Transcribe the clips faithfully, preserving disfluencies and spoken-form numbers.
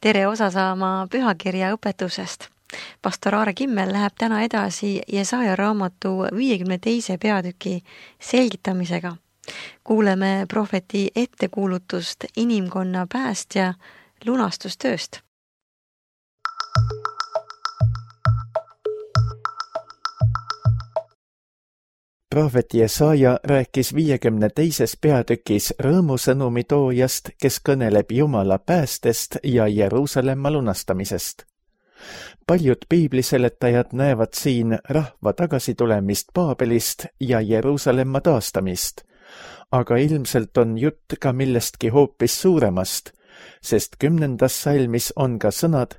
tere osa saama pühakirja õpetusest. Pastor Aare Kimmel läheb täna edasi Jesaja raamatu viiekümne teise peatüki selgitamisega. Kuuleme prohveti ettekuulutust inimkonna päästja lunastustööst. Prohvet Jesaja rääkis viiekümne teises peatükis rõõmusõnumi toojast, kes kõneleb Jumala päästest ja Jeruusalemma lunastamisest. Paljud piibliseletajad näevad siin rahva tagasitulemist Paabelist ja Jeruusalemma taastamist, aga ilmselt on jutt ka millestki hoopis suuremast, sest kümnendas salmis on ka sõnad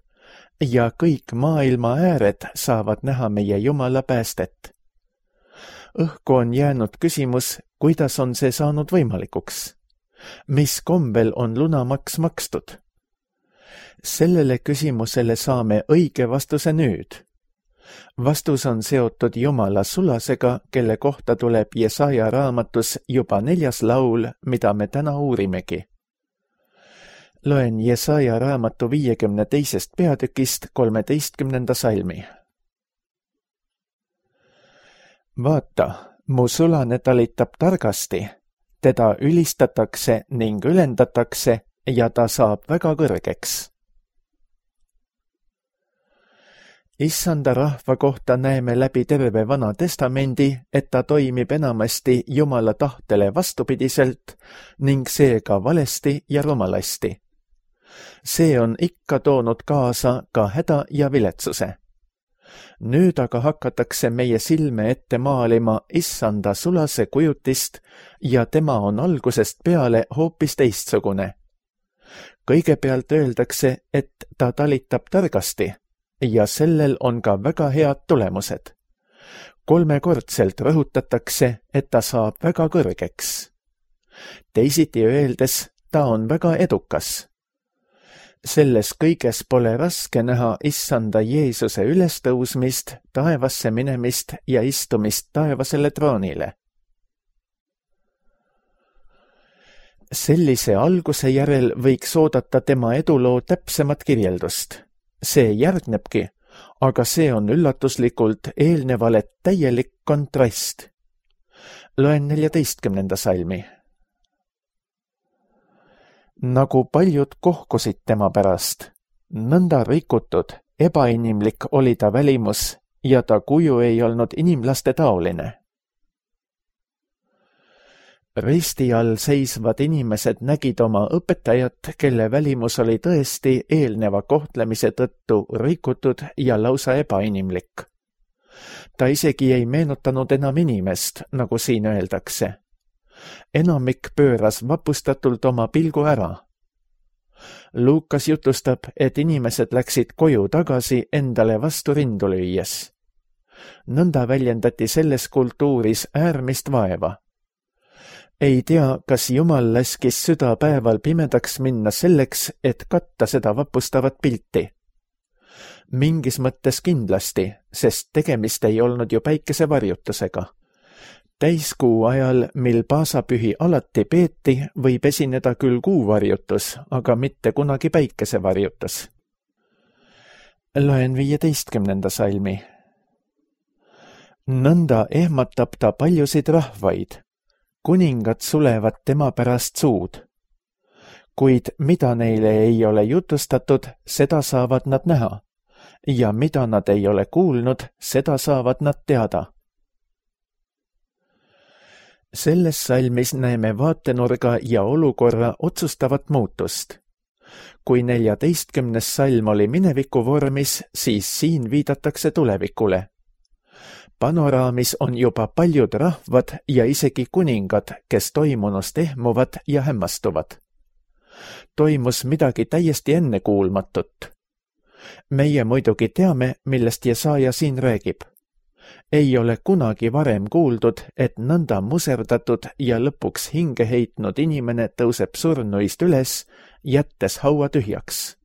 ja kõik maailma ääred saavad näha meie Jumala päästet. Õhku on jäänud küsimus, kuidas on see saanud võimalikuks? Mis kombel on lunamaks makstud? Sellele küsimusele saame õige vastuse nüüd. Vastus on seotud Jumala sulasega, kelle kohta tuleb Jesaja raamatus juba neljas laul, mida me täna uurimegi. Loen Jesaja raamatu viiekümne teisest peatükist kolmeteistkümnenda salmi. Vaata, mu sulane talitab targasti, teda ülistatakse ning ülendatakse ja ta saab väga kõrgeks. Issanda rahva kohta näeme läbi terve Vana Testamendi, et ta toimib enamasti Jumala tahtele vastupidiselt ning seega valesti ja rumalasti. See on ikka toonud kaasa ka häda ja viletsuse. Nüüd aga hakatakse meie silme ette maalima Issanda sulase kujutist ja tema on algusest peale hoopis teistsugune. Kõigepealt öeldakse, et ta talitab targasti ja sellel on ka väga head tulemused. Kolmekordselt rõhutatakse, et ta saab väga kõrgeks. Teisiti öeldes, ta on väga edukas. Selles kõiges pole raske näha Issanda Jeesuse ülestõusmist, taevasse minemist ja istumist taevasele troonile. Sellise alguse järel võiks oodata tema eduloo täpsemat kirjeldust. See järgnebki, aga see on üllatuslikult eelnevale täielik kontrast. Loen neljateistkümnenda salmi. Nagu paljud kohkusid tema pärast, nõnda rikutud, ebainimlik oli ta välimus ja ta kuju ei olnud inimlaste taoline. Risti all seisvad inimesed nägid oma õpetajat, kelle välimus oli tõesti eelneva kohtlemise tõttu rikutud ja lausa ebainimlik. Ta isegi ei meenutanud enam inimest, nagu siin öeldakse. Enamik pööras vapustatult oma pilgu ära. Luukas jutustab, et inimesed läksid koju tagasi endale vastu rindu lüües. Nõnda väljendati selles kultuuris äärmist vaeva. Ei tea, kas Jumal laskis südapäeval pimedaks minna selleks, et katta seda vapustavat pilti. Mingis mõttes kindlasti, sest tegemist ei olnud ju päikesevarjutusega. Täiskuu ajal, mil paasapühi alati peeti, võib esineda küll kuuvarjutus, aga mitte kunagi päikesevarjutus. Loen viieteistkümnenda salmi. Nõnda ehmatab ta paljusid rahvaid. Kuningad sulevad tema pärast suud. Kuid mida neile ei ole jutustatud, seda saavad nad näha. Ja mida nad ei ole kuulnud, seda saavad nad teada. Selles salmis näeme vaatenurga ja olukorra otsustavat muutust. Kui neljateistkümnes salm oli mineviku vormis, siis siin viidatakse tulevikule. Panoraamis on juba paljud rahvad ja isegi kuningad, kes toimunust ehmuvad ja hämmastuvad. Toimus midagi täiesti ennekuulmatut. Meie muidugi teame, millest Jesaja siin räägib. Ei ole kunagi varem kuuldud, et nõnda muserdatud ja lõpuks hinge heitnud inimene tõuseb surnuist üles, jättes haua tühjaks.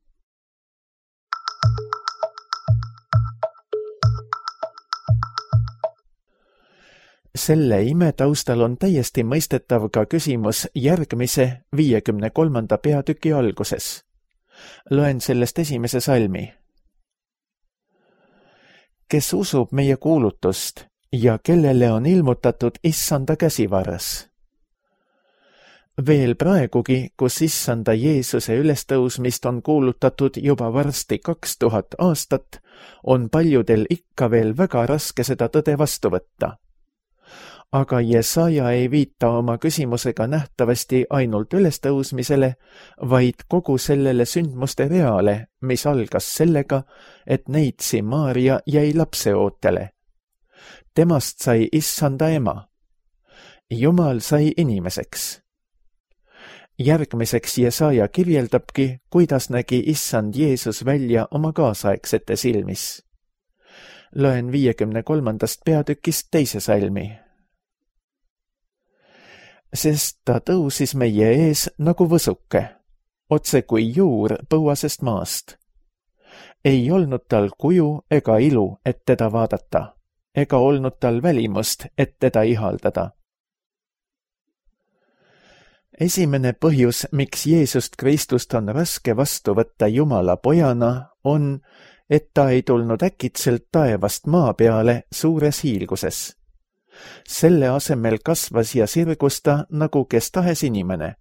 Selle ime taustal on täiesti mõistetav ka küsimus järgmise viiekümne kolmanda peatüki alguses. Loen sellest esimese salmi. Kes usub meie kuulutust ja kellele on ilmutatud issanda käsivarras. Veel praegugi, kus issanda Jeesuse ülestõusmist on kuulutatud juba varsti kaks tuhat aastat, on paljudel ikka veel väga raske seda tõde vastu võtta. Aga Jesaja ei viita oma küsimusega nähtavasti ainult ülestõusmisele, vaid kogu sellele sündmuste reale, mis algas sellega, et neitsi Maaria jäi lapseootele. Temast sai issanda ema. Jumal sai inimeseks. Järgmiseks Jesaja kirjeldabki, kuidas nägi issand Jeesus välja oma kaasaegsete silmis. Loen viiekümne kolmandast peatükist teise salmi. Sest ta tõusis meie ees nagu võsuke, otse kui juur põuasest maast. Ei olnud tal kuju ega ilu, et teda vaadata, ega olnud tal välimust, et teda ihaldada. Esimene põhjus, miks Jeesust Kristust on raske vastu võtta Jumala pojana, on, et ta ei tulnud äkitselt taevast maa peale suures hiilguses. Selle asemel kasvas ja sirgus ta nagu kes tahes inimene.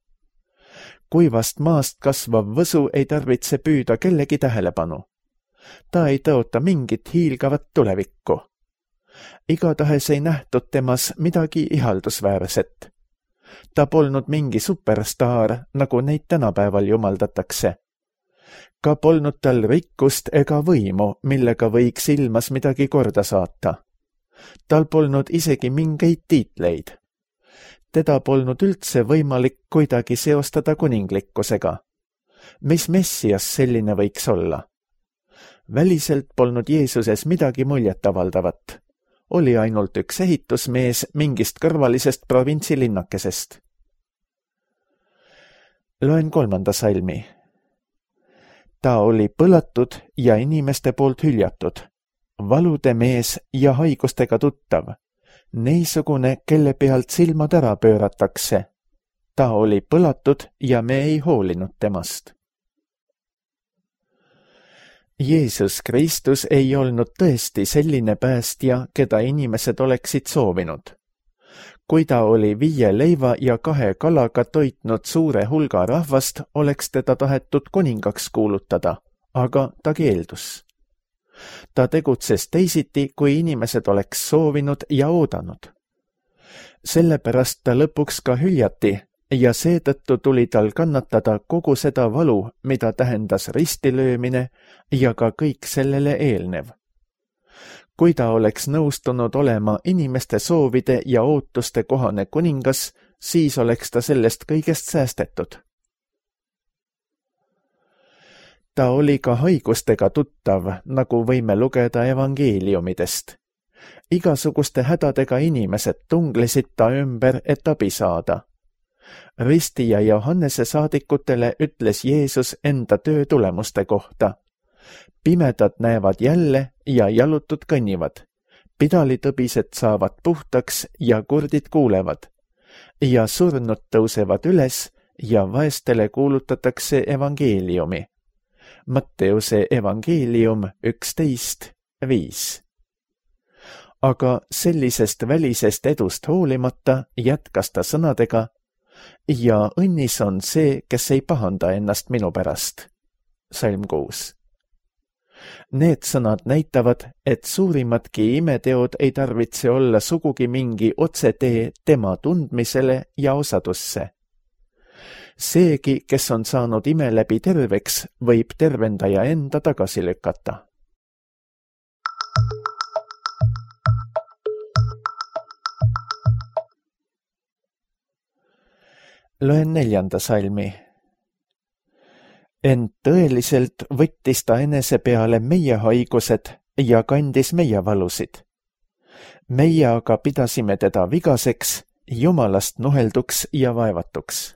Kuivast maast kasvav võsu ei tarvitse püüda kellegi tähelepanu. Ta ei tõota mingit hiilgavat tulevikku. Igatahes ei nähtud temas midagi ihaldusväärset. Ta polnud mingi superstaar, nagu neid tänapäeval jumaldatakse. Ka polnud tal rikkust ega võimu, millega võiks ilmas midagi korda saata. Tal polnud isegi mingeid tiitleid. Teda polnud üldse võimalik kuidagi seostada kuninglikkusega. Mis messias selline võiks olla? Väliselt polnud Jeesuses midagi muljetavaldavat. Oli ainult üks ehitusmees mingist kõrvalisest provintsilinnakesest. Loen kolmanda salmi. Ta oli põlatud ja inimeste poolt hüljatud, valude mees ja haigustega tuttav, neisugune, kelle pealt silmad ära pööratakse. Ta oli põlatud ja me ei hoolinud temast. Jeesus Kristus ei olnud tõesti selline päästja, keda inimesed oleksid soovinud. Kui ta oli viie leiva ja kahe kalaga toitnud suure hulga rahvast, oleks teda tahetud kuningaks kuulutada, aga ta keeldus. Ta tegutses teisiti, kui inimesed oleks soovinud ja oodanud. Sellepärast ta lõpuks ka hüljati ja seetõttu tuli tal kannatada kogu seda valu, mida tähendas ristilöömine ja ka kõik sellele eelnev. Kui ta oleks nõustunud olema inimeste soovide ja ootuste kohane kuningas, siis oleks ta sellest kõigest säästetud. Ta oli ka haigustega tuttav, nagu võime lugeda evangeeliumidest. Igasuguste hädadega inimesed tunglesid ta ümber, et abi saada. Risti ja Johannese saadikutele ütles Jeesus enda töö tulemuste kohta. Pimedad näevad jälle ja jalutud kõnnivad. Pidalitõbised saavad puhtaks ja kurdid kuulevad. Ja surnud tõusevad üles ja vaestele kuulutatakse evangeeliumi. Matteuse evangeelium üksteist viis. Aga sellisest välisest edust hoolimata jätkas ta sõnadega: ja õnnis on see, kes ei pahanda ennast minu pärast. Salm kuus. Need sõnad näitavad, et suurimadki imeteod ei tarvitse olla sugugi mingi otsetee tema tundmisele ja osadusse. Seegi, kes on saanud ime läbi terveks, võib tervendaja enda tagasi lükata. Loen neljanda salmi. Ent tõeliselt võttis ta enese peale meie haigused ja kandis meie valusid. Meie aga pidasime teda vigaseks, Jumalast nuhelduks ja vaevatuks.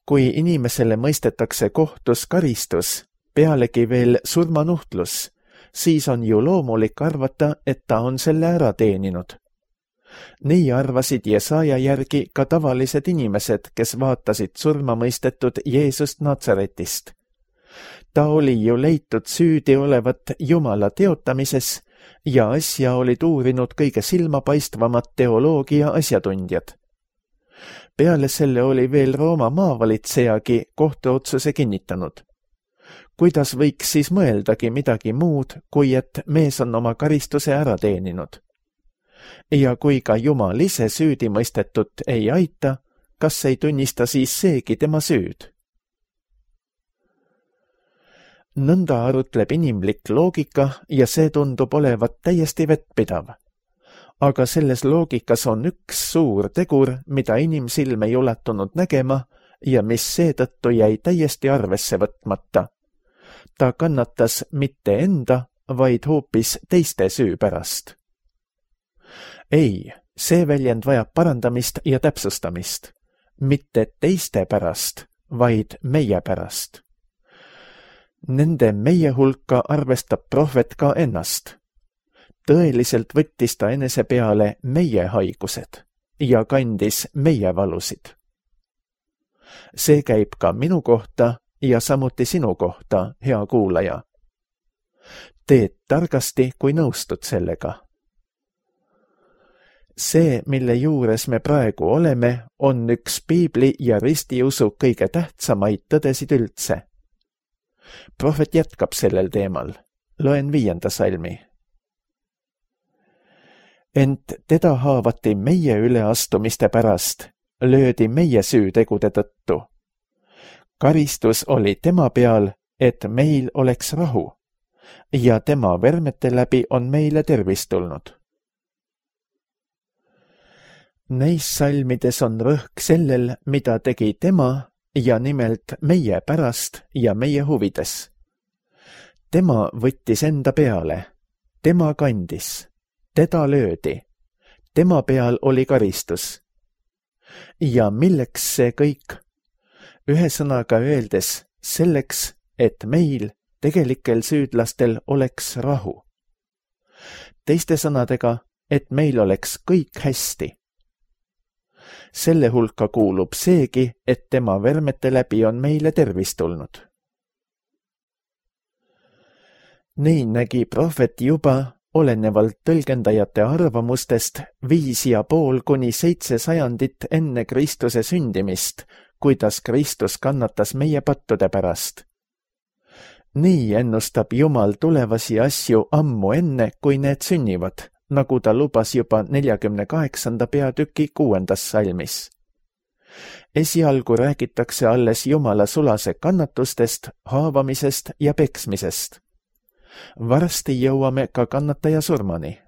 Kui inimesele mõistetakse kohtus karistus, pealegi veel surmanuhtlus, siis on ju loomulik arvata, et ta on selle ära teeninud. Nii arvasid Jesaja järgi ka tavalised inimesed, kes vaatasid surma mõistetud Jeesust Natsaretist. Ta oli ju leitud süüdi olevat Jumala teotamises ja asja olid uurinud kõige silmapaistvamad teoloogia asjatundjad. Peale selle oli veel Rooma maavalitsejagi kohtuotsuse kinnitanud. Kuidas võiks siis mõeldagi midagi muud, kui et mees on oma karistuse ära teeninud? Ja kui ka Jumal ise süüdi mõistetut ei aita, kas ei tunnista siis seegi tema süüd? Nõnda arutleb inimlik loogika ja see tundub olevat täiesti vettpidav. Aga selles loogikas on üks suur tegur, mida inimsilm ei ulatunud nägema ja mis seetõttu jäi täiesti arvesse võtmata. Ta kannatas mitte enda, vaid hoopis teiste süü pärast. Ei, see väljend vajab parandamist ja täpsustamist. Mitte teiste pärast, vaid meie pärast. Nende meie hulka arvestab prohvet ka ennast. Tõeliselt võttis ta enese peale meie haigused ja kandis meie valusid. See käib ka minu kohta ja samuti sinu kohta, hea kuulaja. Teed targasti, kui nõustud sellega. See, mille juures me praegu oleme, on üks piibli ja ristiusu kõige tähtsamaid tõdesid üldse. Prohvet jätkab sellel teemal. Loen viienda salmi. Ent teda haavati meie üleastumiste pärast, löödi meie süütegude tõttu. Karistus oli tema peal, et meil oleks rahu, ja tema vermete läbi on meile tervis tulnud. Neis salmides on rõhk sellel, mida tegi tema, ja nimelt meie pärast ja meie huvides. Tema võttis enda peale, tema kandis, teda löödi, tema peal oli karistus. Ja milleks see kõik? Ühesõnaga öeldes selleks, et meil, tegelikel süüdlastel, oleks rahu. Teiste sõnadega, et meil oleks kõik hästi. Selle hulka kuulub seegi, et tema vermete läbi on meile tervis tulnud. Nii nägi prohvet juba, olenevalt tõlgendajate arvamustest, viis ja pool kuni seitse sajandit enne Kristuse sündimist, kuidas Kristus kannatas meie pattude pärast. Nii ennustab Jumal tulevasi asju ammu enne, kui need sünnivad, nagu ta lubas juba neljakümne kaheksanda peatüki kuuendas salmis. Esialgu räägitakse alles Jumala sulase kannatustest, haavamisest ja peksmisest. Varsti jõuame ka kannataja surmani.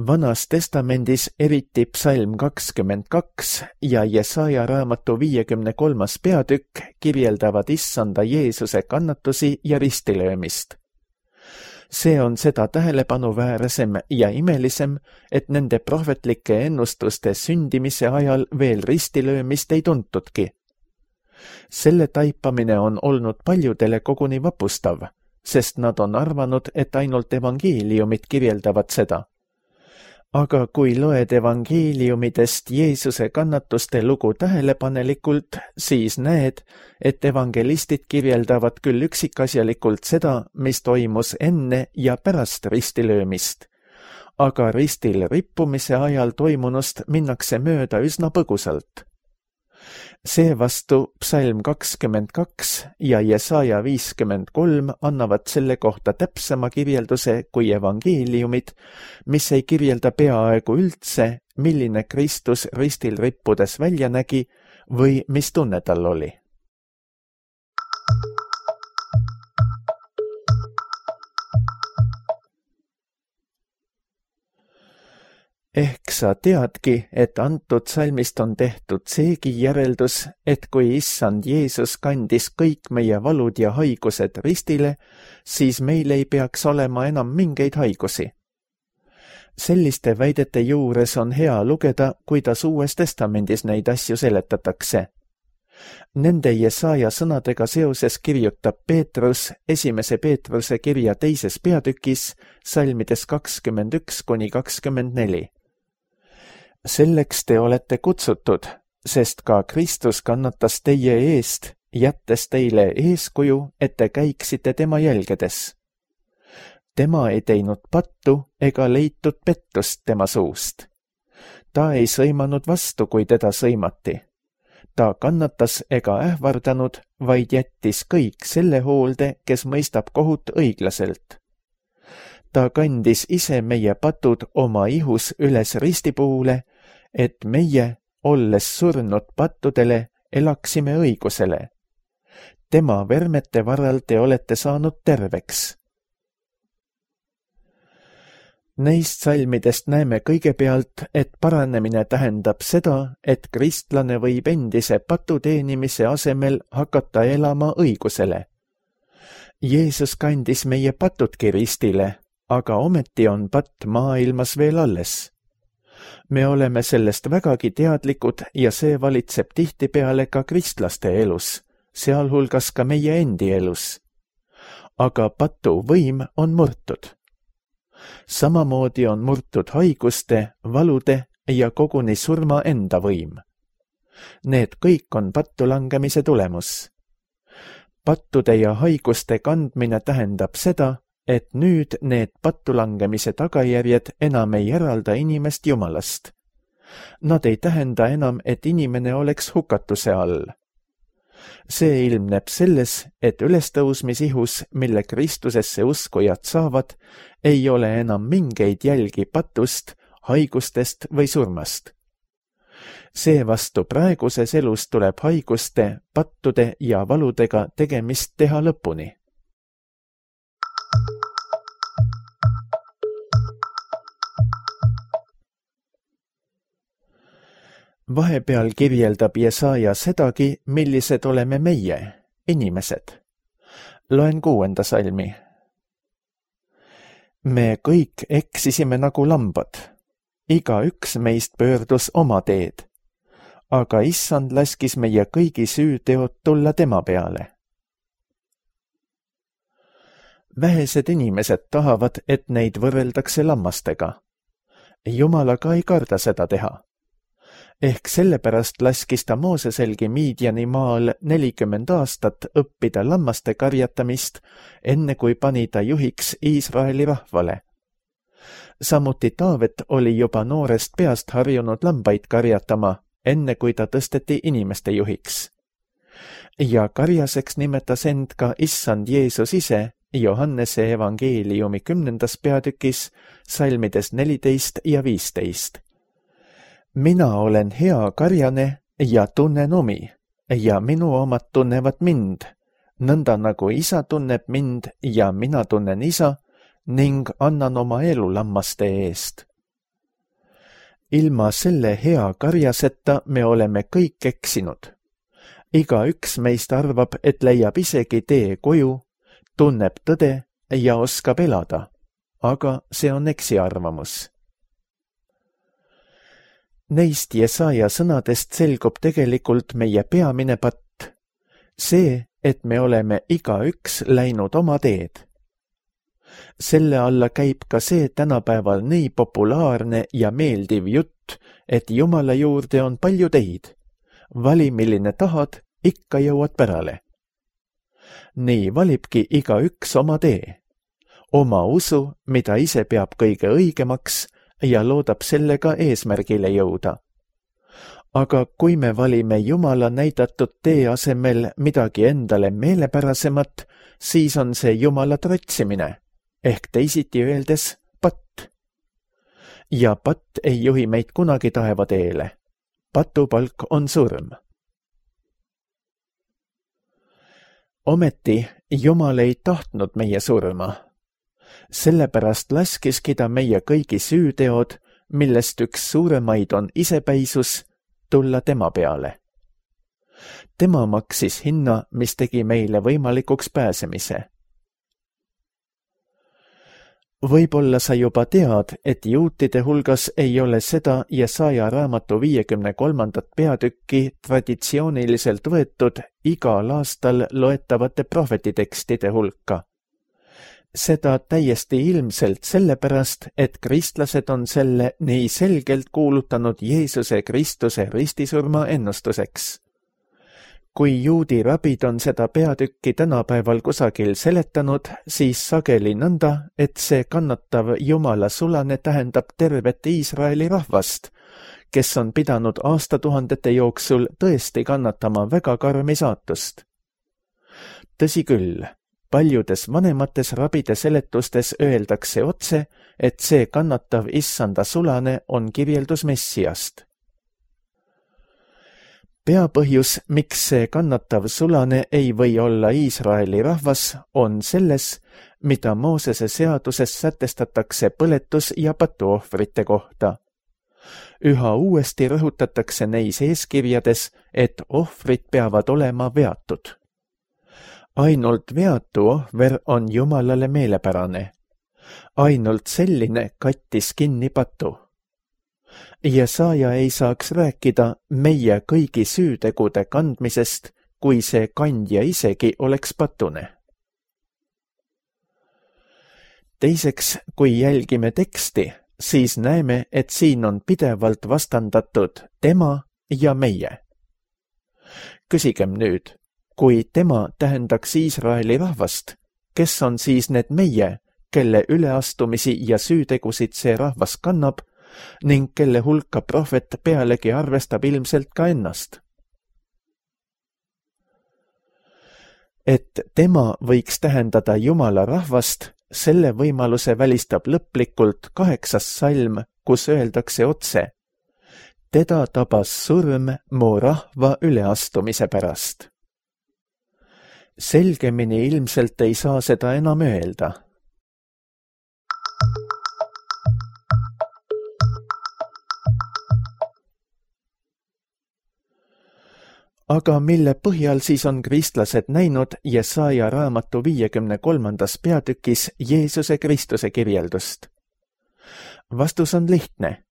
Vanas testamendis eriti psalm kakskümmend kaks ja Jesaja raamatu viiekümne kolmas peatükk kirjeldavad issanda Jeesuse kannatusi ja ristilöömist. See on seda tähelepanuväärsem ja imelisem, et nende prohvetlike ennustuste sündimise ajal veel ristilöömist ei tuntudki. Selle taipamine on olnud paljudele koguni vapustav, sest nad on arvanud, et ainult evangeeliumid kirjeldavad seda. Aga kui loed evangeeliumidest Jeesuse kannatuste lugu tähelepanelikult, siis näed, et evangelistid kirjeldavad küll üksikasjalikult seda, mis toimus enne ja pärast ristilöömist, aga ristil rippumise ajal toimunust minnakse mööda üsna põgusalt. Seevastu psalm kakskümmend kaks ja Jesaja viiskümmend kolm annavad selle kohta täpsema kirjelduse kui evangeeliumid, mis ei kirjelda peaaegu üldse, milline Kristus ristil rippudes välja nägi või mis tunne tal oli. Ehk sa teadki, et antud salmist on tehtud seegi järeldus, et kui issand Jeesus kandis kõik meie valud ja haigused ristile, siis meil ei peaks olema enam mingeid haigusi. Selliste väidete juures on hea lugeda, kuidas Uues Testamendis neid asju seletatakse. Nende Jesaja sõnadega seoses kirjutab Peetrus esimese Peetruse kirja teises peatükis salmides kakskümmend üks kuni kakskümmend neli. Selleks te olete kutsutud, sest ka Kristus kannatas teie eest, jättes teile eeskuju, et te käiksite tema jälgedes. Tema ei teinud pattu ega leitud pettust tema suust. Ta ei sõimanud vastu, kui teda sõimati. Ta kannatas ega ähvardanud, vaid jättis kõik selle hoolde, kes mõistab kohut õiglaselt. Ta kandis ise meie patud oma ihus üles ristipuule, et meie, olles surnud pattudele, elaksime õigusele. Tema vermete varal te olete saanud terveks. Neist salmidest näeme kõigepealt, et paranemine tähendab seda, et kristlane võib endise patu teenimise asemel hakata elama õigusele. Jeesus kandis meie patudki ristile, aga ometi on patt maailmas veel alles. Me oleme sellest vägagi teadlikud ja see valitseb tihtipeale ka kristlaste elus, sealhulgas ka meie endi elus. Aga patu võim on murtud. Samamoodi on murtud haiguste, valude ja koguni surma enda võim. Need kõik on pattu langemise tulemus. Pattude ja haiguste kandmine tähendab seda, et nüüd need pattu langemise tagajärjed enam ei eralda inimest Jumalast. Nad ei tähenda enam, et inimene oleks hukatuse all. See ilmneb selles, et ülestõusmisihus, mille Kristusesse uskujad saavad, ei ole enam mingeid jälgi patust, haigustest või surmast. Seevastu praeguses elus tuleb haiguste, pattude ja valudega tegemist teha lõpuni. Vahepeal kirjeldab Jesaja sedagi, millised oleme meie, inimesed. Loen kuuenda salmi. Me kõik eksisime nagu lambad. Iga üks meist pöördus oma teed. Aga issand laskis meie kõigi süüteod tulla tema peale. Vähesed inimesed tahavad, et neid võrreldakse lammastega. Jumalaga ei karda seda teha. Ehk sellepärast laskis ta Mooseselgi Miidjani maal nelikümmend aastat õppida lammaste karjatamist, enne kui pani ta juhiks Iisraeli rahvale. Samuti Taavet oli juba noorest peast harjunud lambaid karjatama, enne kui ta tõsteti inimeste juhiks. Ja karjaseks nimetas end ka issand Jeesus ise Johannese evangeeliumi kümnendas peatükis salmides neliteist ja viisteist. Mina olen hea karjane ja tunnen omi, ja minu omad tunnevad mind, nõnda nagu isa tunneb mind ja mina tunnen isa ning annan oma elu lammaste eest. Ilma selle hea karjaseta me oleme kõik eksinud. Iga üks meist arvab, et leiab isegi tee koju, tunneb tõde ja oskab elada, aga see on eksiarvamus. Neist Jesaja sõnadest selgub tegelikult meie peamine patt. See, et me oleme iga üks läinud oma teed. Selle alla käib ka see tänapäeval nii populaarne ja meeldiv jutt, et Jumala juurde on palju teid. Vali, milline tahad, ikka jõuad pärale. Nii valibki iga üks oma tee. Oma usu, mida ise peab kõige õigemaks, ja loodab sellega eesmärgile jõuda. Aga kui me valime Jumala näidatud tee asemel midagi endale meelepärasemat, siis on see Jumala tratsimine, ehk teisiti öeldes patt. Ja patt ei juhi meid kunagi taeva teele. Patupalk on surm. Ometi Jumal ei tahtnud meie surma. Sellepärast laskiski ta meie kõigi süüteod, millest üks suuremaid on isepäisus, tulla tema peale. Tema maksis hinna, mis tegi meile võimalikuks pääsemise. Võib-olla sa juba tead, et juutide hulgas ei ole seda Jesaja raamatu viiekümne kolmandat peatükki traditsiooniliselt võetud igal aastal loetavate prohvetitekstide hulka. Seda täiesti ilmselt sellepärast, et kristlased on selle nii selgelt kuulutanud Jeesuse Kristuse ristisurma ennustuseks. Kui juudi rabid on seda peatükki tänapäeval kusagil seletanud, siis sageli nõnda, et see kannatav Jumala sulane tähendab tervet Iisraeli rahvast, kes on pidanud aastatuhandete jooksul tõesti kannatama väga karmi saatust. Tõsi küll, paljudes vanemates rabide seletustes öeldakse otse, et see kannatav issanda sulane on kirjeldus Messiast. Peapõhjus, miks see kannatav sulane ei või olla Iisraeli rahvas, on selles, mida Moosese seaduses sätestatakse põletus- ja patuohvrite kohta. Üha uuesti rõhutatakse neis eeskirjades, et ohvrid peavad olema veatud. Ainult veatu ohver on Jumalale meelepärane. Ainult selline kattis kinni patu. Jesaja ei saaks rääkida meie kõigi süütegude kandmisest, kui see kandja isegi oleks patune. Teiseks, kui jälgime teksti, siis näeme, et siin on pidevalt vastandatud tema ja meie. Küsigem nüüd, kui tema tähendaks Iisraeli rahvast, kes on siis need meie, kelle üleastumisi ja süütegusid see rahvas kannab, ning kelle hulka prohvet pealegi arvestab ilmselt ka ennast. Et tema võiks tähendada Jumala rahvast, selle võimaluse välistab lõplikult kaheksas salm, kus öeldakse otse: teda tabas surm mu rahva üleastumise pärast. Selgemini ilmselt ei saa seda enam öelda. Aga mille põhjal siis on kristlased näinud Jesaja raamatu viiekümne kolmandas peatükis Jeesuse Kristuse kirjeldust? Vastus on lihtne.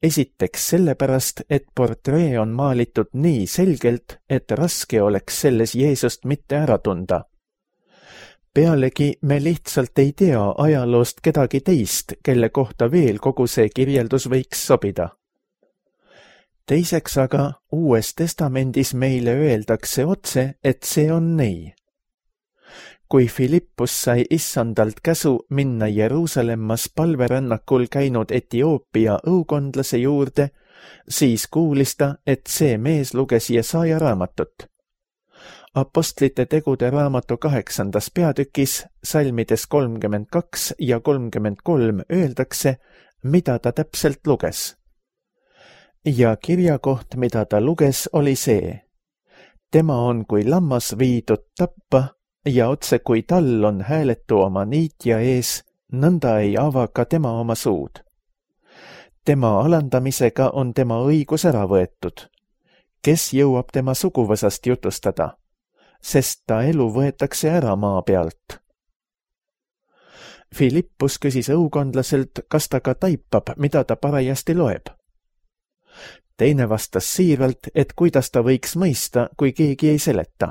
Esiteks sellepärast, et portree on maalitud nii selgelt, et raske oleks selles Jeesust mitte ära tunda. Pealegi me lihtsalt ei tea ajaloost kedagi teist, kelle kohta veel kogu see kirjeldus võiks sobida. Teiseks aga Uues Testamendis meile öeldakse otse, et see on nii. Kui Filippus sai issandalt käsu minna Jeruusalemmas palverännakul käinud Etioopia õukondlase juurde, siis kuulis ta, et see mees luges Jesaja raamatut. Apostlite tegude raamatu kaheksandas peatükis, salmides kolmkümmend kaks ja kolmkümmend kolm öeldakse, mida ta täpselt luges. Ja kirjakoht, mida ta luges, oli see: tema on kui lammas viidud tappa ja otse kui tall on hääletu oma niitja ees, nõnda ei ava ka tema oma suud. Tema alandamisega on tema õigus ära võetud. Kes jõuab tema suguvõsast jutustada? Sest ta elu võetakse ära maa pealt. Filippus küsis õukondlaselt, kas ta ka taipab, mida ta parajasti loeb. Teine vastas siiralt, et kuidas ta võiks mõista, kui keegi ei seleta.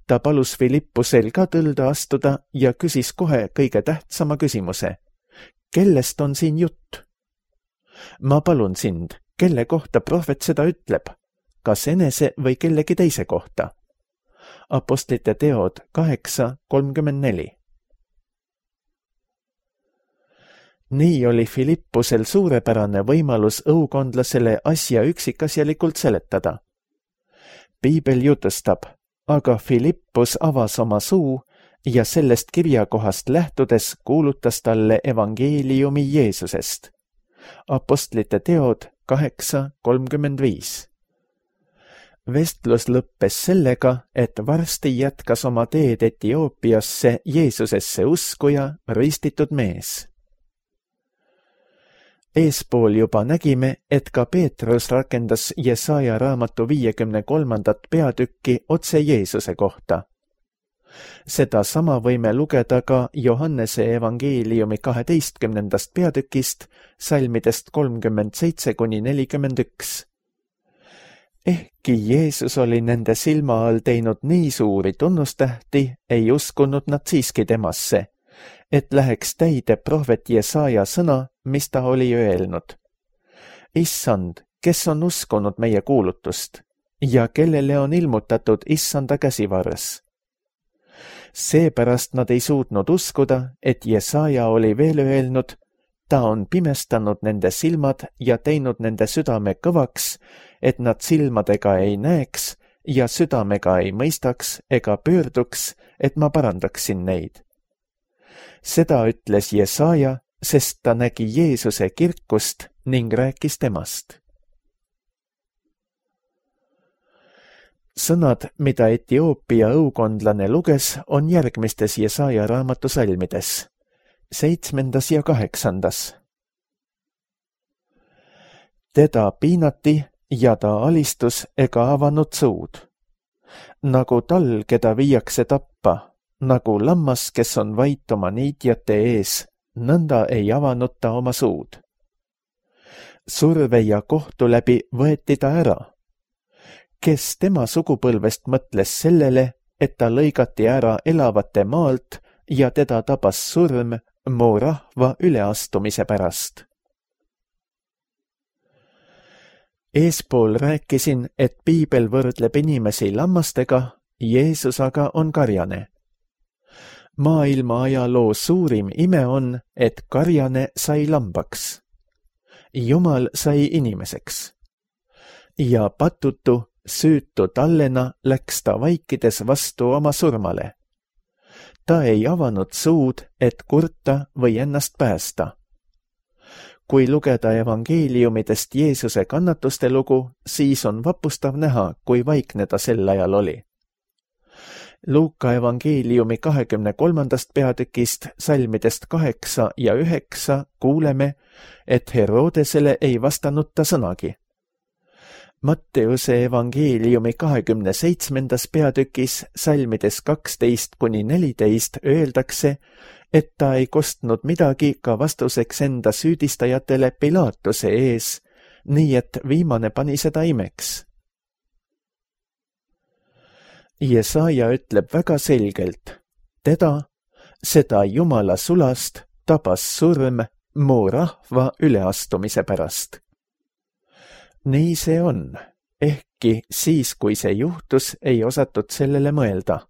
Ta palus Filippusel ka tõlda astuda ja küsis kohe kõige tähtsama küsimuse. Kellest on siin jutt? Ma palun sind, kelle kohta prohvet seda ütleb? Kas enese või kellegi teise kohta? Apostlite teod kaheksa kolmkümmend neli. Nii oli Filippusel suurepärane võimalus õukondlasele asja üksikasjalikult seletada. Piibel jutustab, aga Filippus avas oma suu ja sellest kirjakohast lähtudes kuulutas talle evangeeliumi Jeesusest. Apostlite teod kaheksa kolmkümmend viis. Vestlus lõppes sellega, et varsti jätkas oma teed Etioopiasse Jeesusesse uskuja ristitud mees. Eespool juba nägime, et ka Peetrus rakendas Jesaja raamatu viiekümne kolmandat peatükki otse Jeesuse kohta. Seda sama võime lugeda ka Johannese evangeeliumi kaheteistkümnendast peatükist, salmidest kolmkümmend seitse kuni nelikümmend üks. Ehkki Jeesus oli nende silma all teinud nii suuri tunnustähti, ei uskunud nad siiski temasse, et läheks täide prohvet Jesaja sõna, mis ta oli öelnud. Issand, kes on uskunud meie kuulutust ja kellele on ilmutatud Issanda käsivarres. Seepärast nad ei suutnud uskuda, et Jesaja oli veel öelnud, ta on pimestanud nende silmad ja teinud nende südame kõvaks, et nad silmadega ei näeks ja südamega ei mõistaks ega pöörduks, et ma parandaksin neid. Seda ütles Jesaja, sest ta nägi Jeesuse kirkust ning rääkis temast. Sõnad, mida Etioopia õukondlane luges, on järgmistes Jesaja raamatu salmides, seitsmendas ja kaheksandas. Teda piinati ja ta alistus ega avanud suud. Nagu tal, keda viiakse tappa, nagu lammas, kes on vait oma niitjate ees, nõnda ei avanud ta oma suud. Surve ja kohtu läbi võeti ta ära. Kes tema sugupõlvest mõtles sellele, et ta lõigati ära elavate maalt ja teda tabas surm mu rahva üleastumise pärast. Eespool rääkisin, et piibel võrdleb inimesi lammastega, Jeesus aga on karjane. Maailma ajaloo suurim ime on, et karjane sai lambaks. Jumal sai inimeseks. Ja patutu, süütu tallena läks ta vaikides vastu oma surmale. Ta ei avanud suud, et kurta või ennast päästa. Kui lugeda evangeeliumidest Jeesuse kannatuste lugu, siis on vapustav näha, kui vaikne ta sel ajal oli. Luuka evangeeliumi kahekümne kolmandast peatükist, salmidest kaheksa ja üheksa kuuleme, et Herodesele ei vastanud ta sõnagi. Matteuse evangeeliumi kahekümne seitsmendas peatükis, salmides kaksteist kuni neliteist öeldakse, et ta ei kostnud midagi ka vastuseks enda süüdistajatele Pilatuse ees, nii et viimane pani seda imeks. Jesaja ütleb väga selgelt, teda, seda Jumala sulast, tabas surm mu rahva üleastumise pärast. Nii see on, ehkki siis, kui see juhtus, ei osatud sellele mõelda.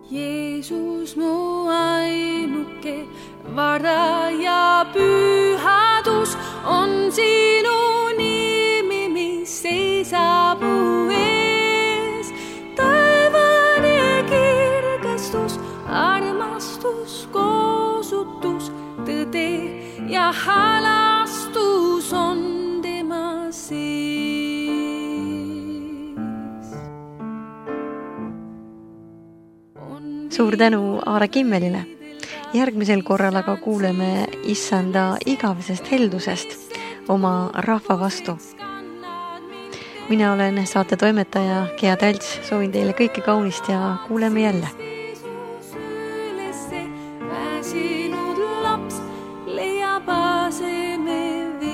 Jeesus mu ainuke vara ja pühadus on sinu nimi, mis seisab mu ees. Taevane kirgastus, armastus, koosutus, tõde ja halastus on tema sees. Suur tänu Aare Kimmelile. Järgmisel korral aga kuuleme Issanda igavesest heldusest oma rahva vastu. Mina olen saate toimetaja Gea Talts, soovin teile kõike kaunist ja kuuleme jälle. Väsinud laps leiab aseme veel.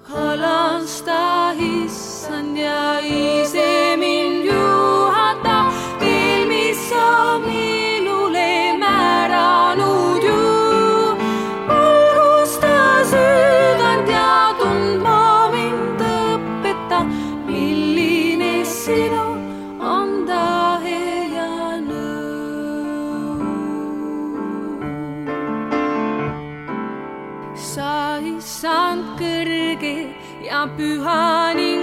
Halasta Issand ja ise mind juhata, teel, mis sa minule määranud ju. Valgusta südant ja tundma mind õpeta, milline sinu on tahe ja nõu. Sa Issand kõrge ja püha nii